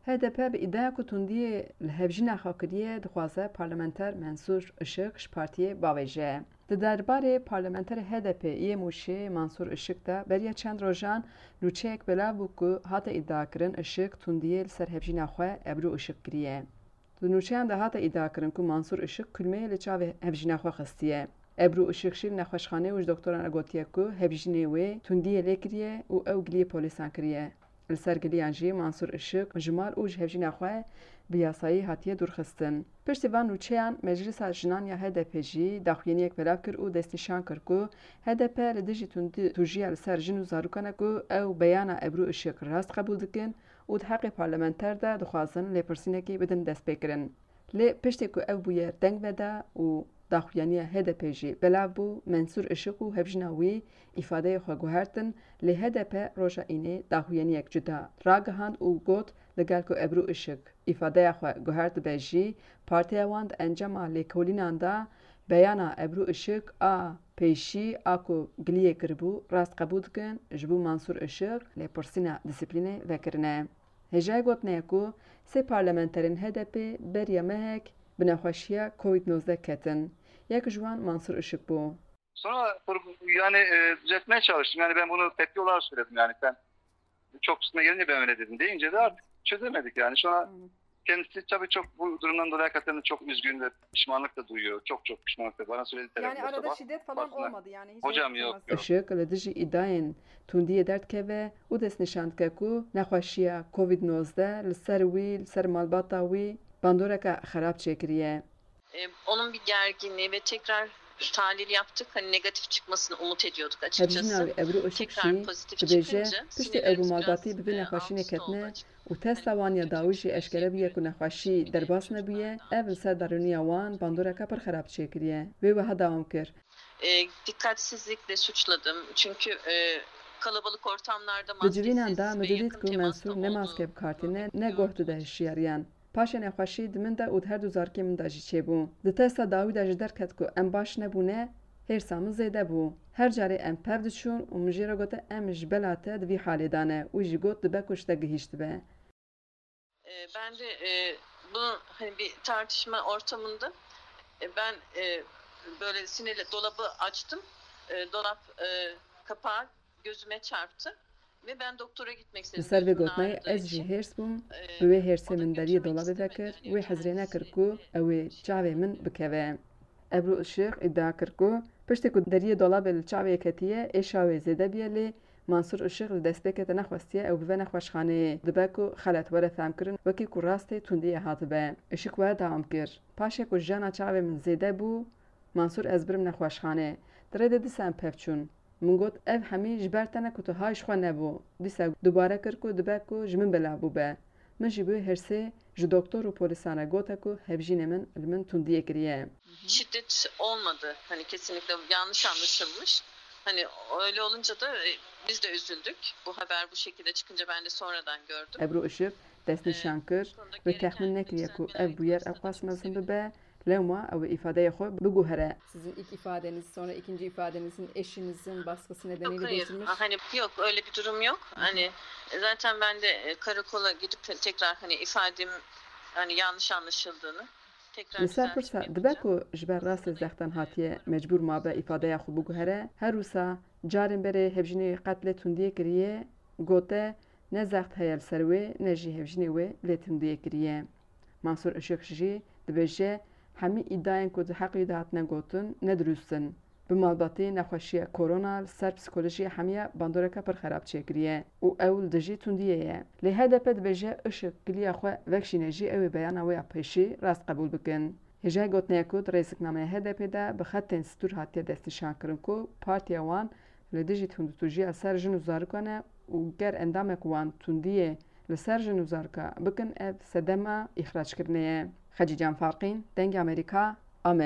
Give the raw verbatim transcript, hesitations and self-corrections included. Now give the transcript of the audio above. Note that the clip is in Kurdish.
H D P bi îdiaya ku tundiyê li hevjîna xwe kiriye, dixwaze parlamenter Mensûr Işik ji partiyê bavêje. Di derbarê parlamenterê H D P yê Mûşê Mansûr Işik de beriya çend rojan nûçeyek belav bû ku hate îdiakirin Işik tundiyê li ser hevjîna xwe Ebru Işik kiriye. Di nûçeyan de hate îdiakirin ku Mansûr Işik kulmeyê li çavê hevjîna xwe xistiye. Ebru Işik jî li nexweşxaneyê û ji doktoran re gotiye ku hevjînê wê tundiyê lê kiriye û ew giliyê polîsan kiriye. Li ser giliyan jî Mansûr Işik ji mal û ji hevjîna xwe bi yasayî hatiye dûrxistin. Piştî van nûçeyan Meclisa Jinan ya H D P jî daxuyaniyek belav kir û destnîşan kir ku H D P li dijî tundî tûjiya li ser jin û zarokan e ku ew beyana Ebru Işik rast qebûl dikin û di heqê parlamenter de dixwazin lêpirsînekê bidin destpêkirin. Lê piştî ku ev bûyer deng veda û daxuyaniya H D P jî belav bû, Mensûr Işik û hevjîna wî îfadeyê xwe guhertin, lê H D P roja înê daxuyaniyek cuda ragihand û got, li gel ku Ebru Işik îfadeya xwe guhertibe jî, partiya wan di encama lêkolînan de beyana Ebru Işik a pêşî a ku giliyê kiribû rast qebûl dikin, ji bo Mansûr Işik lêpirsîna disiplînê vekirine. Hêjayê gotinê ye ku sê parlamenterên H D P beriya mehek bi nexweşiya Covid nozdeh ketin. Yek ji wan Mansûr Işik bû. Sonra yani e, düzeltmeye çalıştım. Yani ben bunu tepki olarak söyledim yani sen çok üstüne gelince ben öyle dedim deyince de artık çözemedik yani. Sonra kendisi tabii çok bu durumdan dolayı hakikaten çok üzgün ve pişmanlık da duyuyor. Çok çok pişmanlık da bana söyledi Yani telefonda arada sabah. şiddet falan Aslında- olmadı yani. Hiç Hocam yok yok temas. yok. Işik li dijî îdayên tundiyê derdikeve û destnîşan dike ku nexweşiya Covid nozdeh li ser wî, li ser malbata wî bandoreke xerab çêkiriye. E, onun bir gerginliği ve tekrar tahlil yaptık. Hani negatif çıkmasını umut ediyorduk açıkçası. Hevjîna wî Ebru Işik Tekrar jî pozitif dibêje, çıkınca piştî ew bi sinirlerimiz malbatî biraz, bi vê e, nexweşînê alt üst oldu ketine açıkçası. û testa wan ya dawî jî eşkere bûye ku nexweşî derbas nebûye, ev li ser darûniya wan bandoreke pir xerab çêkiriye. Wê wiha dewam kir. E, dikkatsizlikle suçladım. Çünkü e, kalabalık ortamlarda Di civînan de maskesiz min ve didît yakın ku temasta Mensûr ne olduğu maske bi kar tîne, gördüm ne goh dide açıkçası. hişyariyan. Paşê nexweşî di min de û di her du zarokê min de jî çêbû. Di testa dawî de ji derket ku em baş nebûne, hêrsa min zêde bû. Her carê em pev diçûn û min jê re gote em ji bela te di vî halê de ne û jî got dibe ku ji te gihîştibe. E, ben de e, bu hani bir tartışma ortamında e, ben e, böyle sinirle dolabı açtım. E, dolap e, kapağı gözüme çarptı ve ben doktora gitmek Li istedim. ser vê Gözümün gotinayê ağrıdığı ez jî için. hêrs bûm, E, bi wê hêrsê o da min deriyê götürmek dolabê istemedi. vekir, Hani wê hizrê kendisi nekir ku ew ê çavê min bikeve. Ebru Işik îdia kir ku piştî ku deriyê dolabê li çavê ketiye, êşa wê zêde bûye lê Mansûr Işik di destpêkê de nexwestiye ew bive nexweşxaneyê. Dibe ku xelet were fehmkirin, wekî ku rastê tundiyê hatibe. Işik were dewam kir, Paşê ku jiyana çavê min zêde bû, Mansûr ez birim nexweşxanê. Di rê de dîsa em pev çûn. Min got, ev hemî ji ber te ne ku tu hay ji xwe nebû. Dîsa dubare kir ku dibe ku ji min belav bûbe. Min jî bi wê hêrsê ji doktor û polîsan re gote ku hevjînê min li min tundiyê kiriye. Şiddet olmadı. Hani kesinlikle yanlış anlaşılmış. Hani öyle olunca da e, biz de üzüldük. Bu haber bu şekilde çıkınca ben de sonradan gördüm. Ebru Işik destnîşan kir, wê texmîn nekiriye ku ev bûyer ew qas mezin bibe, lewma ew ê îfadeyê xwe biguhere. Sizin ilk ifadeniz, sonra ikinci ifadenizin eşinizin baskısı Yok nedeniyle hayır. değiştirilmiş. Hani yok öyle bir durum yok. Hani zaten ben de e, karakola gidip te- tekrar hani ifadem hani yanlış anlaşıldığını tekrar Li ser pirsa düzeltme dibe yapacağım. Ku ji ber rastê zextan hatiye mecbûr mabe îfadeya xwe biguhere, her wisa carên berê hevjînê wê qet lê tundiyê kiriye, gote ne zext heye li ser wê ne jî hevjînê wê lê tundiyê kiriye. Mansûr Işik jî dibêje, hemî îdiayên ku di heqê wî de hatine gotin ne dirûst in. Bi malbatî nexweşiya korona li ser psîkolojîya hemiya bandoreke pir xerab çêkiriye û ew li dijî tundiyê ye. Lê H D P dibêje Işik giliya xwe vekişîne jî ew ê beyana wê ya pêşî rast qebûl bikin. Hêjayê gotinê ye ku di rêziknameya H D P de bi xetên stûr hatiye destnîşankirin ku partiya wan li dijî tundûtûjiya ser jin û zarokan e û ger endamek wan tundiyê li ser jin û zaroka bikin ev sedema îxrackirinê ye. Xecîcan Farqîn, Dengê Amerîka, Amed.